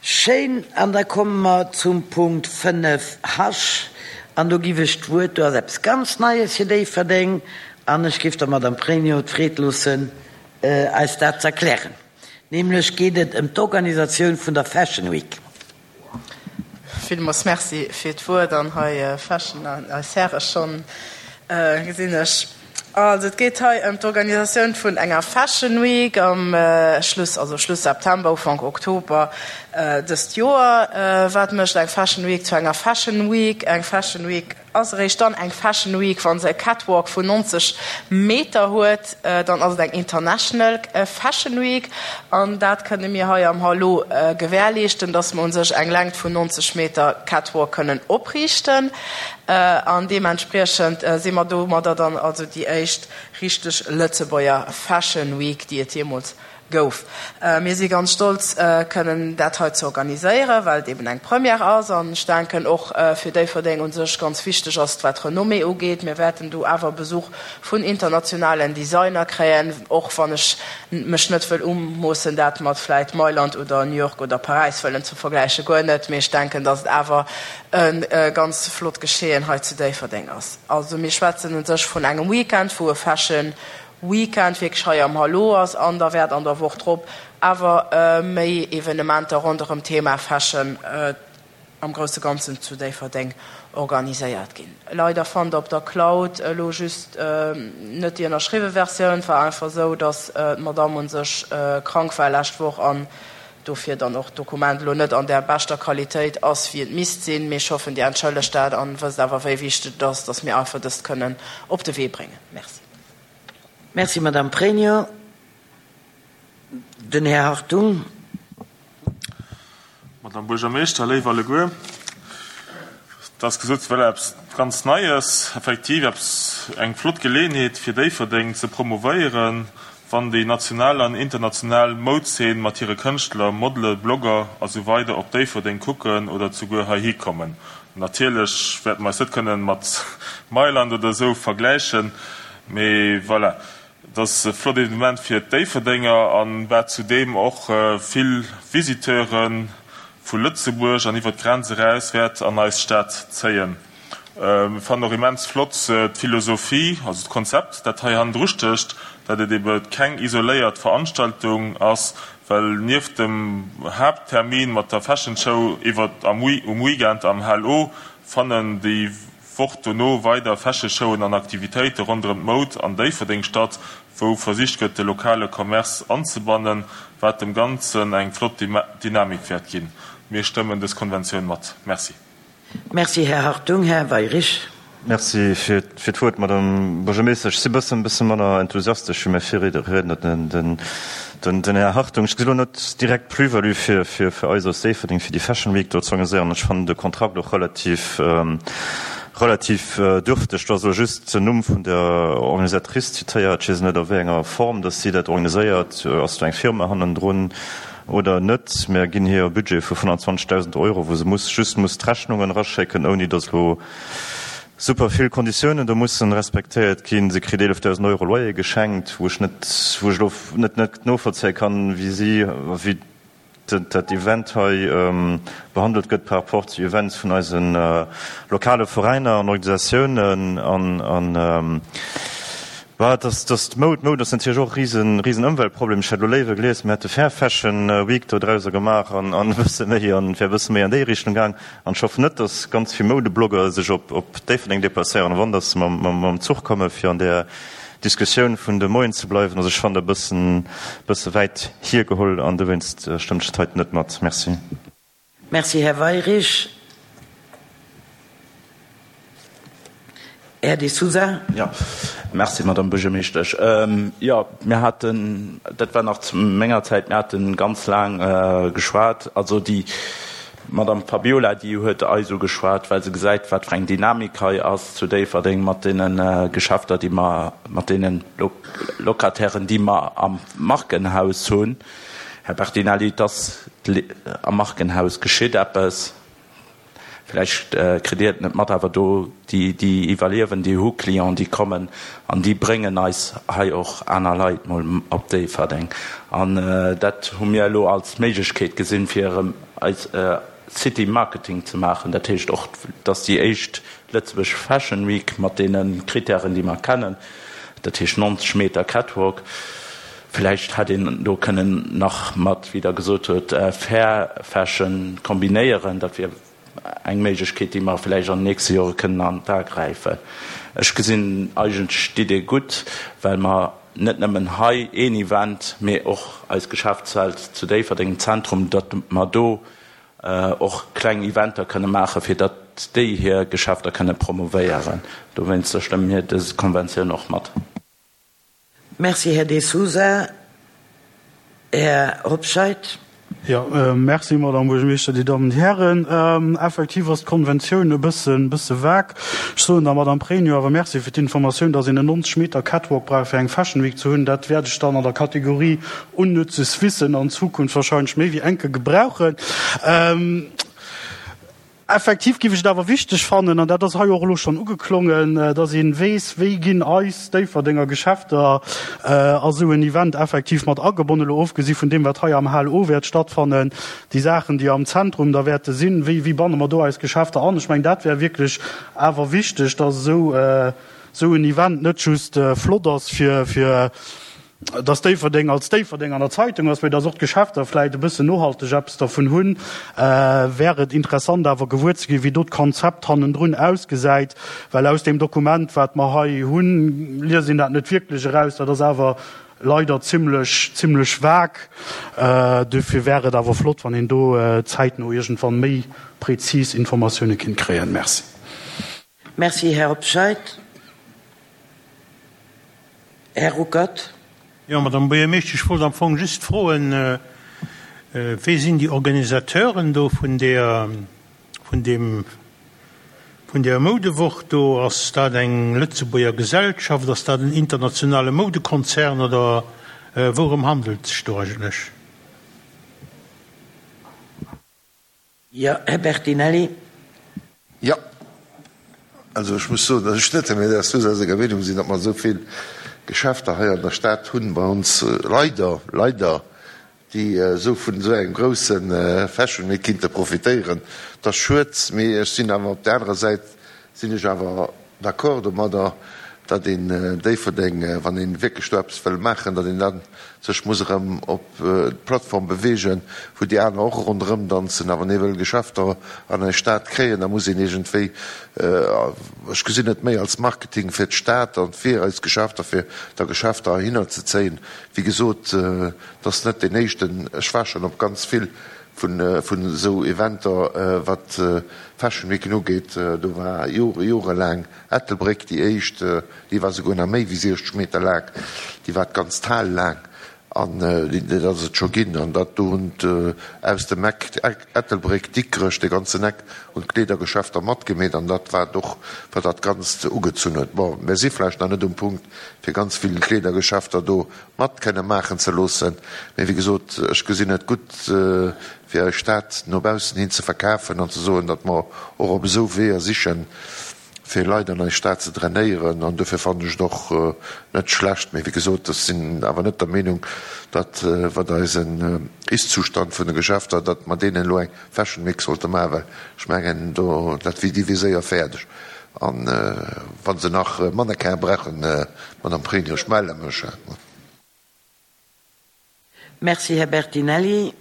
Schéin, an da komme mer zum Punkt 5 H, an do giff ech d'Wuert, do ass eppes ganz Neies fir Déifferdeng, an ech giff der Madame Pregno d'Freed loossen, eis dat ze erklären. Nämlech geet et ëm d'Organisatioun vun der Fashion Week. Villmoos Merci fir d'Wuert an hei feschen eis Häre schonn, gesinn ech. Also et geet hei ëm d'Organisatioun vun enger Fashion Week am Schluss, also Schluss September, Ufank Oktober dëst Joer. Wat mécht eng Fashion Week zu enger Fashion Week? Eng Fashion Week ass eréischt dann eng Fashion Week, wa se e Catwalk vun 90 Meter huet. Dann ass et eng International Fashion Week an dat kënne mir hei am Hallo gewährleeschten, dass mer u sech eng Längt vun 90 Meter Catwalk kënnen opriichten. An deementspriechend si mer domadder dann also déi éischt richteg Lëtzebuerger Fashion Week, déi et jeemools gouf. Mir si ganz stolz, kënnen dat hei ze organiséieren, well et eben eng Première ass an ech denken och fir Déifferdeng u sech ganz wichteg ass, wat d'Renommée ugeet. Mir wäerten do awer Besuch vun internationalen Designer kréien, och wann ech mech net wëll umoossen, dat mat vläit Mailand oder New York oder Paräis wëllen ze vergläichen, guer net, mee ech denken, datt et awer e ganz flott Geschehen hei zu Déifferdeng ass. Also mir schwätzen u sech vun engem Weekend, wou e Fashion Weekend wierklech hei am Hallo ass an da wäert an der Woch drop awer méi Evenementer ronderëm d'Thema Fashion am grousse Ganzen zu Déifferdeng organiséiert ginn. Leider fannt der op der Cloud elo just net déi ënnerschriwwe Versioun. Et war einfach esou, dass d'Madame un sech krank war lescht Woch an dofir dann och d'Dokument elo net an där beschter Qualitéit ass, wéi et misst sinn. Mee ech hoffen, Dir entschëllegt dat an wësst awer, wéi wichteg et ass, dass mir einfach dëst kënnen op de Wee bréngen. Merci. Merci, Madame Pregno. Den Här Hartung. Madame Buergermeeschter, léif alleguer, et ass gesot, et wär eppes ganz Neies, effektiv eppes, eng flott Geleeënheet fir Déifferdeng ze promouvéieren, wann déi national an international Moudzeen mat hire Kënschtler, Modele, Blogger a sou weider op Déifferdeng kucken oder zuguer heihi kommen. Natierlech wäerte mer eis net kënnen mat Mailand oder esou vergläichen, mee voilà, et ass e flott Evenement fir d'Déifferdenger an wat zudeem och vill Visiteure vu Lëtzebuerg an iwwer d'Grenz eraus wäert an eis Stad zéien. Mir fannen och immens flott d'Philosophie, also d'Konzept, dat hei hannendru stécht, dat et ebe keng isoléiert Veranstaltung ass, well nieft dem Haapttermin mat der Fashion Show iwwer am um Weekend am HLO fannen déi Woch dono weider Fashion Showen an Aktivitéite ronderëm d'Moud an Déifferdeng statt, wou versicht gëtt de lokale Commerce anzebannen, wat dem Ganzen eng flott Dynamik wäert ginn. Mir stëmmen dës Konventioun mat. Merci. Merci, Här Hartung. Här Weyrich. Merci fir d'Wuert, Madame Buergermeeschtesch. Ech si bëssen, bësse manner enthusiastesch wéi mäi Virriedner, den Här Hartung. Ech gesi lo net direkt d'Plus-value fir, fir, fir eis aus Déifferdeng, fir déi Fashion Week do ze organiséieren. Ech fannen de Kontrakt och relativ, relativ dürfteg. Do ass elo just den Numm vun der Organisatrice zitéiert. Ech weess net, a wéi enger Form dass si dat organiséiert. Ass do eng Firma hannendrun? Oder net. Mär ginn hir e Budget vu 25.000 Euro, wou se muss just muss d'Rechnungen eraschécken, ouni datt elo super vill Konditiounen do mussen respektéiert ginn. Se kritt 11.000 Euro Loyer geschenkt, wou ech net, wou ech elo net net novollzéie kann, wéi si, wéi dat Event hei behandelt gëtt par rapport zu Events vun eise lokale Veräiner an Organisatiounen an an Bah, dass, dass d'Moud, d'Moud ass natierlech och e risen, risen Ëmweltproblem. Ech hätt elo léiwer gelies, mir hätte Fair Fashion Week do drauser gemaach an, an e bësse méi, an et wär e bësse méi an déi Richtung gaang. An ech hoffen net, dass ganz vill Moudeblogger sech op, op Déifferdeng deplacéieren, a wann, dass se mam, mam, mam Zuch kommen, fir an där Diskussioun vun de Moien ze bleiwen. Also ech fannen dat e bëssen, bësse wäit hiergeholl an dowéinst stëmmen ech dat heiten net mat. Merci. Merci, Här Weyrich. Här De Sousa. Jo, merci, Madame Buergermeeschtesch. Jo, mir haten, dat war nach zu menger Zäit, mir hate ganz laang geschwat. Also déi Madame Fabiola, déi huet eis ugeschwat, well se gesäit, wat fir eng Dynamik hei ass zu Déifferdeng mat deene Geschäfter, déi mer, mat deene Locatairen, déi mer am Markenhaus hunn. Här Bertinelli, et ass am Markenhaus geschitt eppes. Vläicht kritt Dir et net mat, awer do déi, déi iwwerliewen, déi hu Clienten, déi kommen an déi bréngen eis hei och aner Leit mol op Déifferdeng. An dat hu mir elo als Méiglechkeet gesinn, fir erëm eis City Marketing ze maachen. Dat heescht och, dass déi éischt Lëtzebuerg Fashion Week mat deene Kritären, déi mer kennen, dat heescht 90 Meter Catwalk, vläicht hätt een do kënnen nach mat, wéi Der gesot hutt, Fair Fashion kombinéieren. Dat wier eng Méiglechkeet, déi mer vläicht an den nächste Jore kënnen an d'A gräifen. Ech gesinn eigentlech d'Idee gutt, well mer net nëmmen hei een Event, mee och eis Geschäftswelt zu Déifferdeng im Zentrum, datt mer do och kleng Eventer kënne maachen, fir datt déi hir Geschäfter kënne promovéieren. Dowéinster stëmme mir dës Konventioun och mat. Merci, Här De Sousa. Här Hobscheit. Jo, merci, Madame Buergermeeschter, Dir Dammen, Dir Hären. Effektiv ass d'Konventioun e bëssen, bësse vague. Ech soen der Madame Pregno awer Merci fir d'Informatioun, dass een en 90 Meter Catwalk brauch, fir eng Fashion Week ze hunn. Dat wäert ech dann an der Kategorie unnützes Wissen an Zukunft wahrscheinlech méi wéi enke gebrauchen. Effektiv géif ech et awer wichteg fannen, an dat ass hei och elo schonn ugeklongen, dass ee weess, wéi ginn eis Déifferdenger Geschäfter a sou en Event effektiv mat agebonnen, elo ofgesi vun deem, wat hei am Hal O wäert stattfannen, déi Saachen, déi am Zentrum da wäerte sinn, wéi, wéi banne mer do eis Geschäfter an? Ech mengen, dat wär wierklech awer wichteg, dass esou, esou en Event net just flott ass fir, fir dass Déifferdeng als Déifferdeng an der Zeitung ass, mee dass och d'Geschäfter vläicht e bëssen nohalteg eppes dervun hunn, wär et interessant awer gewuer ze ginn, wéi do d'Konzept hannendrun ausgesäit, well aus deem Dokument, wat mer hei hunn, liest een dat net wierklech eraus. Dat ass awer leider zimlech, zimlech vague. Dofir wär et awer flott, wann een do zäitno iergendwann méi prezis Informatioune kinnt kréien. Merci. Merci, Här Hobscheit. Här Ruckert. Jo, Madame Buergermeeschtesch, ech wollt am Fong just froen, Wie sinn déi Organisateuren do vun där, vun deem, vun där Moudewoch do? Ass dat eng Lëtzebuerger Gesellschaft? Ass dat en internationale Moudekonzern oder wourëm handelt et sech do eigentlech? Jo, Här Bertinelli. Jo. Also ech muss soen, datt ech net dem Här De Sousa senger Meenung sinn, datt mer esou vill Geschäfter hei an der Stad hunn bei ons, leider, leider, déi esou vun esou engem grousse Fashion Week kinnte profitéieren. Dat ass schued, mee ech sinn awer op där anerer Säit sinn ech awer d'accord domadder, datt een Déifferdeng, wann ee wierklech do eppes wëll maachen, datt een da sech muss erëm op d'Plattform beweegen, wou déi aner och ronderëm danzen. A wann ee wëll Geschäfter an eis Stad kréien, da muss een iergendwéi, ech gesinn et méi als Marketing fir d'Stad an fir eis Geschäfter, fir da Geschäfter heihinner ze zéien. Wéi gesot, et ass net deen éischten, ech war schonn op ganz vill vun esou Eventer, wat Fashion Weeken ugeet. Do war Jore, jorelaang Ettelbréck déi éischt, déi war souguer nach méi wéi 60 Meter laang, déi war d'ganz Hal laang an dat ass et scho ginn. An dat do hunn aus dem Eck Ettelbréck, Dikrech, de ganzen Eck hunn d'Kleedergeschäfter matgemeet an dat war et och, wat dat Ganzt ugezunn huet. Bon, mir si vläicht nach net um Punkt, fir ganz vill Kleedergeschäfter do mat kënne maachen ze loossen. Mee wéi gesot, ech gesinn et gutt, fir eis Stad no baussen hin ze verkafen an ze soen, datt mer och op esou Weeër sichen, fir Leit an eis Stad ze drainéieren. An dofir fannen ech et och net schlecht. Mee wéi gesot, ech sinn awer net der Meenung, datt, wat eisen Ist-Zustand vun de Geschäfter, datt mer deenen elo eng Fashion Week sollte maachen, well ech mengen, do, dat wier, déi wier séier fäerdeg. An wa se nach Mannequin brauchen, Madame Pregno, ech melle mech. Merci, Här Bertinelli.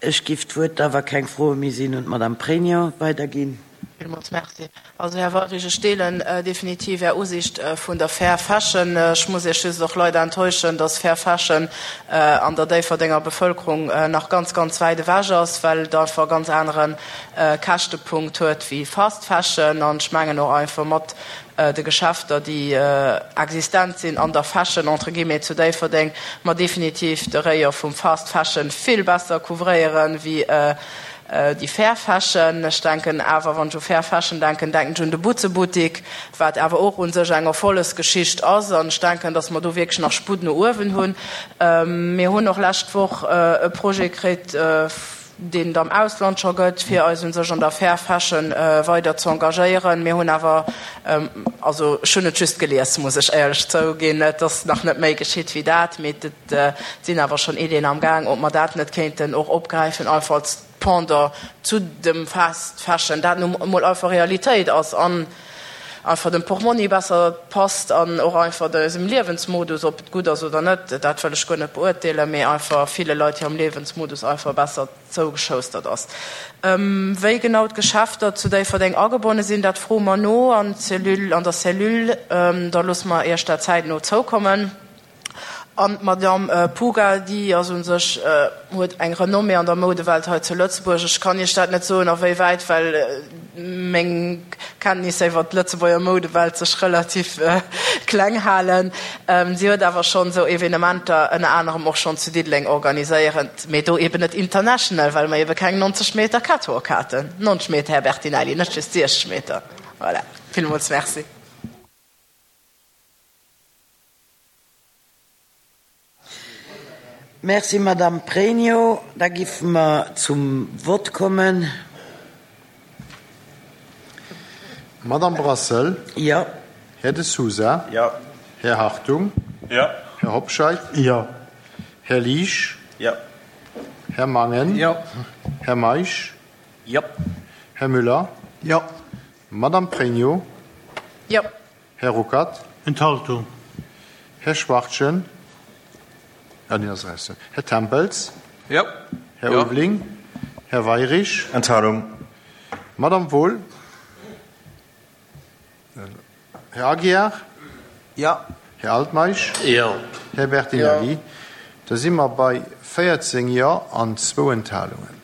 Ech giff d'Wuert da, wa keng Froe méi sinn, un d'Madame Pregno weiderginn. Villmools Merci. Also, Här Weyrich, ech deelen definitiv Är Usicht vun der Fair Fashion. Ech muss Iech just och leider enttäuschen, dass Fair Fashion an der Déifferdenger Bevölkerung nach ganz, ganz wäit ewech ass, well et einfach e ganz anere Käschtepunkt huet wéi Fast Fashion. An ech mengen och einfach mat de Geschäfter, déi existent sinn an der Fashion, entre guillemets, zu Déifferdeng, mer definitiv de Rayon vum Fast Fashion vill besser couvréieren wéi déi Fair Fashion. Ech denken awer, wann ech u Fair Fashion denken, denken ech un de Butzebuttik, wat awer och u sech eng Erfollegsgeschicht ass. An ech denken, datt mer do wierklech nach Sputt no uewen hunn. Mir hunn och lescht Woch e Projet kritt. Deen et am Ausland scho gëtt, fir eis u sech an der Fair Fashion weider ze engagéieren. Mir hunn awer, also ech hunn et just gelies, muss ech éierlech zouginn, et ass nach net méi geschitt wéi dat, mee et sinn awer schonn Iddien am Gaang, ob mer dat net kéinten och opgräifen, einfach als Pendant zu dem Fast Fashion, dat nu emol einfach Realitéit ass an einfach dem Portmonni besser passt an och einfach eisem Liewensmodus, ob et gutt ass oder net, dat wëll ech guer net beurteelen, mee einfach ville Leit hirem Liewensmodus einfach besser zougeschoustert ass. Wéi genau d'Geschäfter zu Déifferdeng agebonne sinn, dat froe mer no an d'Cellule, an der Cellule. Da loosse mer Iech dat zäitno zoukommen. An d'Madame Puga, déi ass u sech, huet eng Renommée an der Moudewelt hei zu Lëtzebuerg. Ech kann Iech dat net soen a wéi wäit, well meng Kenntnisser iwwer d'Lëtzebuerger Moudewelt sech relativ kleng halen. Si huet awer schonn esou Evenementer ënner anerem och schonn zu Diddeleng organiséierent, mee do eben net international, well mer ebe keng 90 Meter Catwalk haten. 90 Meter, Här Bertinelli, net just 60 Meter. Voilà, villmools Merci. Merci, Madamm Pregno. Da giffe mer zum Vott kommen. Madamm Brassel? Jo. Här De Sousa? Jo. Här Hartung? Jo. Här Hobscheit? Jo. Här Liesch? Jo. Här Mangen? Jo. Här Meisch? Jo. Här Müller? Jo. Madamm Pregno? Jo. Här Ruckert. Enthaltung. Här Schwachtgen. Ah, deen ass eraus. Här Tempels. Jo. Här Ulveling. Här Weirich. Enthalung. Madamm Wohl. Här Aguiar. Jo. Här Altmeisch. Jo. Här Bertinelli. Da si mer bei 14 Jo an zwou Enthalungen.